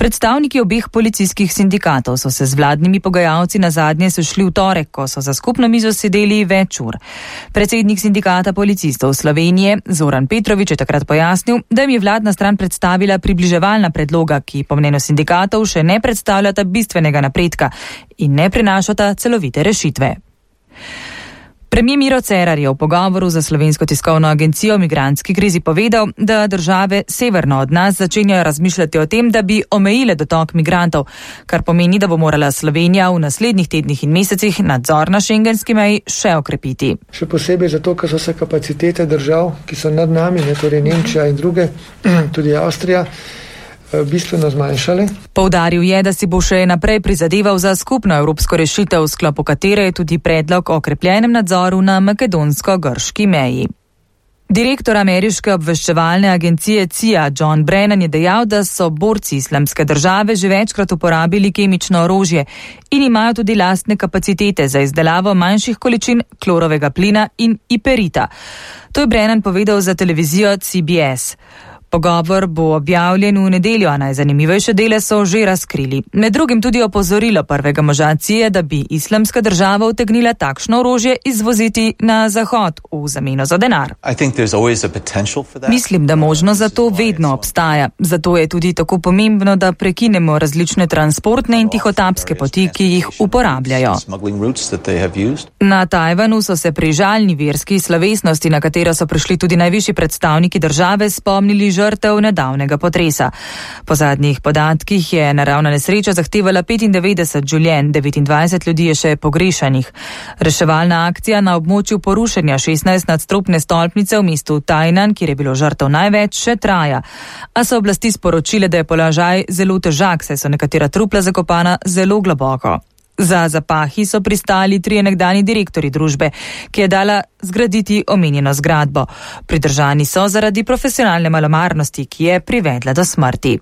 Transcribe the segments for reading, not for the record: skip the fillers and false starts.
Predstavniki obeh policijskih sindikatov so se z vladnimi pogajalci nazadnje sešli v torek, ko so za skupno mizo sedeli več ur. Predsednik sindikata policistov Slovenije Zoran Petrovič je takrat pojasnil, da jim je vladna stran predstavila približevalna predloga, ki po mnenju sindikatov še ne predstavljata bistvenega napredka in ne prinašata celovite rešitve. Premier Miro Cerar je v pogovoru za Slovensko tiskovno agencijo o migrantski krizi povedal, da države severno od nas začenjajo razmišljati o tem, da bi omejile dotok migrantov, kar pomeni, da bo morala Slovenija v naslednjih tednih in mesecih nadzor na šengenski meji še okrepiti. Še posebej zato, ker so se kapacitete držav, ki so nad nami, torej Nemčija in druge, tudi Avstrija, bistveno zmanjšale. Poudaril je, da si bo še naprej prizadeval za skupno evropsko rešitev, v sklopu katere je tudi predlog o okrepljenem nadzoru na makedonsko-grški meji. Direktor ameriške obveščevalne agencije CIA John Brennan je dejal, da so borci Islamske države že večkrat uporabili kemično orožje in imajo tudi lastne kapacitete za izdelavo manjših količin klorovega plina in iperita. To je Brennan povedal za televizijo CBS. Pogovor bo objavljen v nedeljo, a najzanimivejše dele so že razkrili. Med drugim tudi opozorilo prvega moža CIA, da bi Islamska država utegnila takšno orožje izvoziti na Zahod v zameno za denar. Mislim, da možnost za to vedno obstaja. Zato je tudi tako pomembno, da prekinemo različne transportne in tihotapske poti, ki jih uporabljajo. Na Tajvanu so se pri žalni verski slovesnosti, na katero so prišli tudi najvišji predstavniki države, spomnili žrtev nedavnega potresa. Po zadnjih podatkih je naravna nesreča zahtevala 95 življenj, 29 ljudi je še pogrešanih. Reševalna akcija na območju porušenja 16 nadstropne stolpnice v mestu Tainan, kjer je bilo žrtev največ, še traja. A so oblasti sporočile, da je položaj zelo težak, saj so nekatera trupla zakopana zelo globoko. Za zapahi so pristali 3 nekdani direktorji družbe, ki je dala zgraditi omenjeno zgradbo. Pridržani so zaradi profesionalne malomarnosti, ki je privedla do smrti.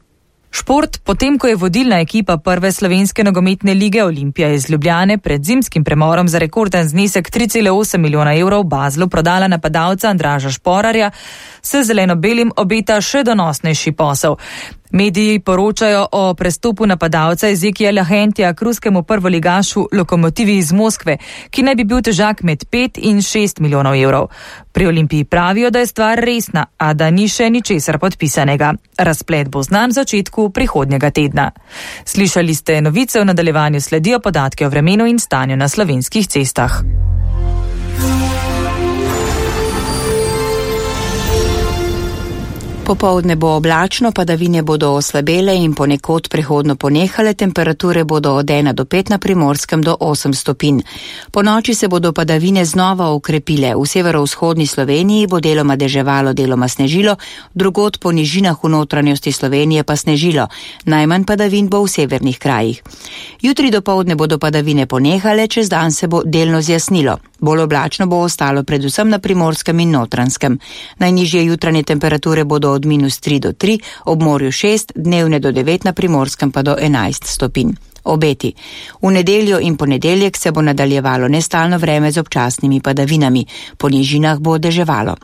Šport, potem ko je vodilna ekipa prve slovenske nogometne lige Olimpija iz Ljubljane pred zimskim premorom za rekorden znesek 3,8 milijona evrov Baslu prodala napadalca Andraža Šporarja, se zeleno-belim obeta še donosnejši posel. Mediji poročajo o prestopu napadalca Ezekijela Hentija k ruskemu prvoligašu Lokomotivi iz Moskve, ki naj bi bil težak med 5 in 6 milijonov evrov. Pri Olimpiji pravijo, da je stvar resna, a da ni še ničesar podpisanega. Razplet bo znan v začetku prihodnjega tedna. Slišali ste novice, v nadaljevanju sledijo podatke o vremenu in stanju na slovenskih cestah. Popoldne bo oblačno, padavine bodo oslabele in ponekod prehodno ponehale, temperature bodo od 1 do 5 na Primorskem do 8 stopinj. Po noči se bodo padavine znova okrepile. V severovzhodni Sloveniji bo deloma deževalo, deloma snežilo, drugod po nižinah v notranjosti Slovenije pa snežilo. Najmanj padavin bo v severnih krajih. Jutri dopoldne bodo padavine ponehale, čez dan se bo delno zjasnilo. Bolj oblačno bo ostalo predvsem na Primorskem in Notranjskem. Najnižje jutranje temperature bodo od -3 do 3, ob morju 6, dnevne do 9, na Primorskem pa do 11 stopinj. Obeti. V nedeljo in ponedeljek se bo nadaljevalo nestalno vreme z občasnimi padavinami. Po nižinah bo deževalo.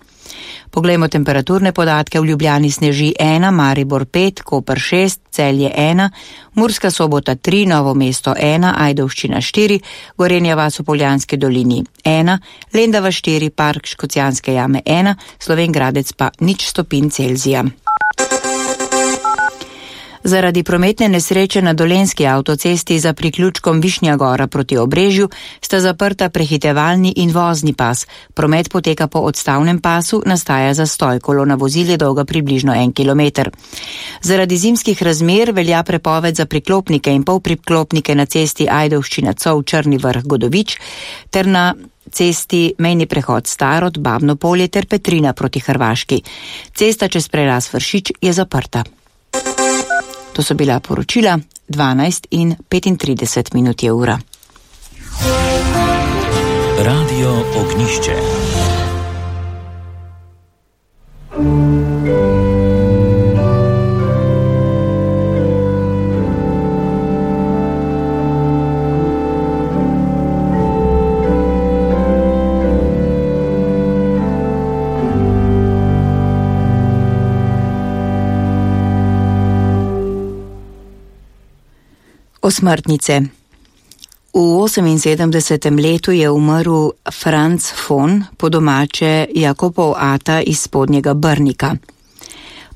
Poglejmo temperaturne podatke. V Ljubljani sneži 1, Maribor 5, Koper 6, Celje 1, Murska Sobota 3, Novo mesto 1, Ajdovščina 4, Gorenja vas v Poljanski dolini 1, Lendava 4, Park Škocjanske jame 1, Slovenj Gradec pa 0 stopinj Celzija. Zaradi prometne nesreče na Dolenjski avtocesti za priključkom Višnja Gora proti Obrežju sta zaprta prehitevalni in vozni pas. Promet poteka po odstavnem pasu, nastaja zastoj, kolona vozil je dolga približno 1 kilometer. Zaradi zimskih razmer velja prepoved za priklopnike in polpriklopnike na cesti Ajdovščina-Cov Črni Vrh Godovič ter na cesti mejni prehod Starod, Babno Polje ter Petrina proti Hrvaški. Cesta čez preraz Vršič je zaprta. To so bila poročila, 12 in 35 minut je ura. Radio Ognišče. Osmrtnice. V 78. letu je umrl Franz von, po domače Jakopov ata iz Spodnjega Brnika.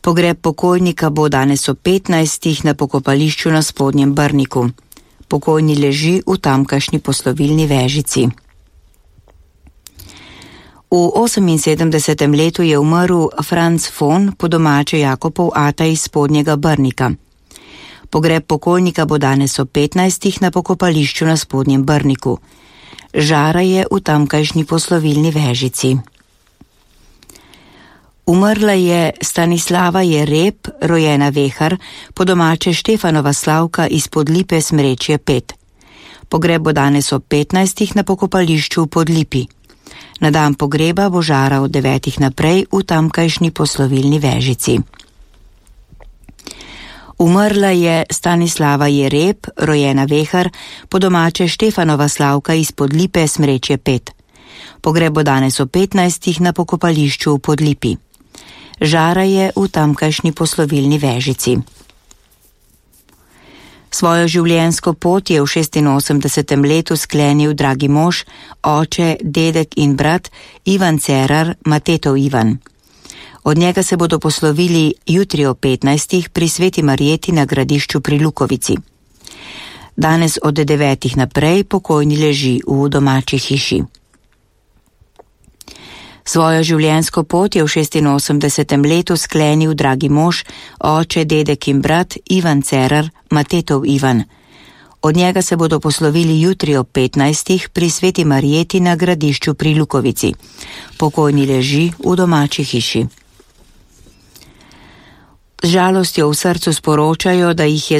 Pogreb pokojnika bo danes ob 15. na pokopališču na Spodnjem Brniku. Pokojni leži v tamkajšnji poslovilni vežici. V 78. letu je umrl Franz von, po domače Jakopov ata iz Spodnjega Brnika. Pogreb pokojnika bo danes ob 15. na pokopališču na Spodnjem Brniku. Žara je v tamkajšnji poslovilni vežici. Umrla je Stanislava Jereb, rojena Vehar, po domače Štefanova Slavka iz Podlipe Smrečje 5. Pogreb bo danes ob 15. na pokopališču v Podlipi. Na dan pogreba bo žara od 9. naprej v tamkajšnji poslovilni vežici. Umrla je Stanislava Jereb, rojena Vehar, po domače Štefanova Slavka iz Podlipe Smrečje 5. Pogreb bo danes ob 15. na pokopališču v Podlipi. Žara je v tamkajšnji poslovilni vežici. Svojo življenjsko pot je v 86. letu sklenil dragi mož, oče, dedek in brat Ivan Cerar, Matetov Ivan. Od njega se bodo poslovili jutri o 15. pri Sveti Marjeti na Gradišču pri Lukovici. Danes od 9. naprej pokojni leži v domači hiši. Svojo življenjsko pot je v 86. letu sklenil dragi mož, oče, dedek in brat Ivan Cerar, Matetov Ivan. Od njega se bodo poslovili jutri ob 15. pri Sveti Marjeti na Gradišču pri Lukovici. Pokojni leži v domači hiši. Z žalostjo v srcu sporočajo, da jih je